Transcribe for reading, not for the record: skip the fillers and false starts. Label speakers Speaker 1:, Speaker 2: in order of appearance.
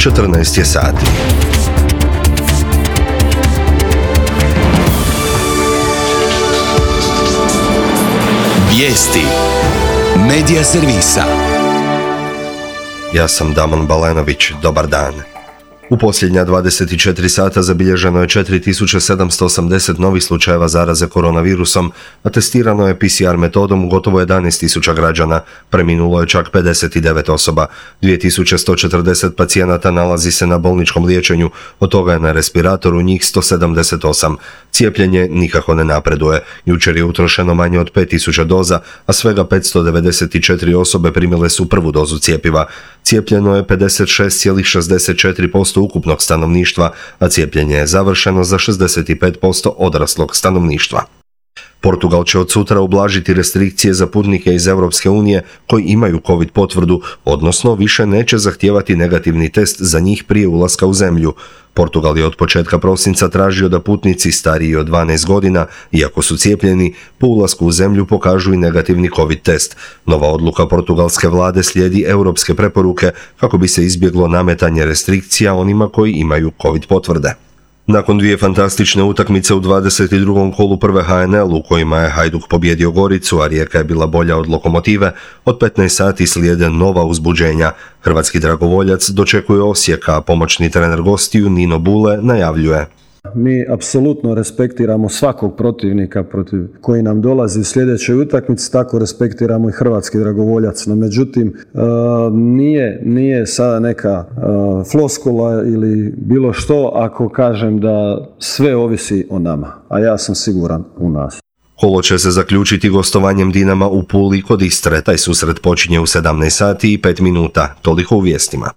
Speaker 1: 14 je sati.
Speaker 2: Vijesti Medija servisa.
Speaker 1: Ja sam Damon Balenović, dobar dan. U posljednja 24 sata zabilježeno je 4780 novih slučajeva zaraze koronavirusom, a testirano je PCR metodom gotovo 11.000 građana, preminulo je čak 59 osoba, 2140 pacijenata nalazi se na bolničkom liječenju, od toga je na respiratoru njih 178. Cijepljenje nikako ne napreduje, jučer je utrošeno manje od 5000 doza, a svega 594 osobe primile su prvu dozu cjepiva. Cijepljeno je 56,64% ukupnog stanovništva, a cijepljenje je završeno za 65% odraslog stanovništva. Portugal će od sutra ublažiti restrikcije za putnike iz Europske unije koji imaju COVID potvrdu, odnosno više neće zahtijevati negativni test za njih prije ulaska u zemlju. Portugal je od početka prosinca tražio da putnici stariji od 12 godina, iako su cijepljeni, po ulasku u zemlju pokažu i negativni COVID test. Nova odluka portugalske vlade slijedi europske preporuke kako bi se izbjeglo nametanje restrikcija onima koji imaju COVID potvrde. Nakon dvije fantastične utakmice u 22. kolu prve HNL u kojima je Hajduk pobijedio Goricu, a Rijeka je bila bolja od Lokomotive, od 15 sati slijede nova uzbuđenja. Hrvatski dragovoljac dočekuje Osijek, a pomoćni trener gostiju Nino Bule najavljuje:
Speaker 3: Mi apsolutno respektiramo svakog protivnika protiv koji nam dolazi u sljedećoj utakmici, tako respektiramo i hrvatski dragovoljac. No međutim, nije sada neka floskula ili bilo što ako kažem da sve ovisi o nama, a ja sam siguran u nas.
Speaker 1: Kolo će se zaključiti gostovanjem Dinama u Puli kod Istre. Taj susret počinje u 17 sati i 5 minuta. Toliko u vijestima.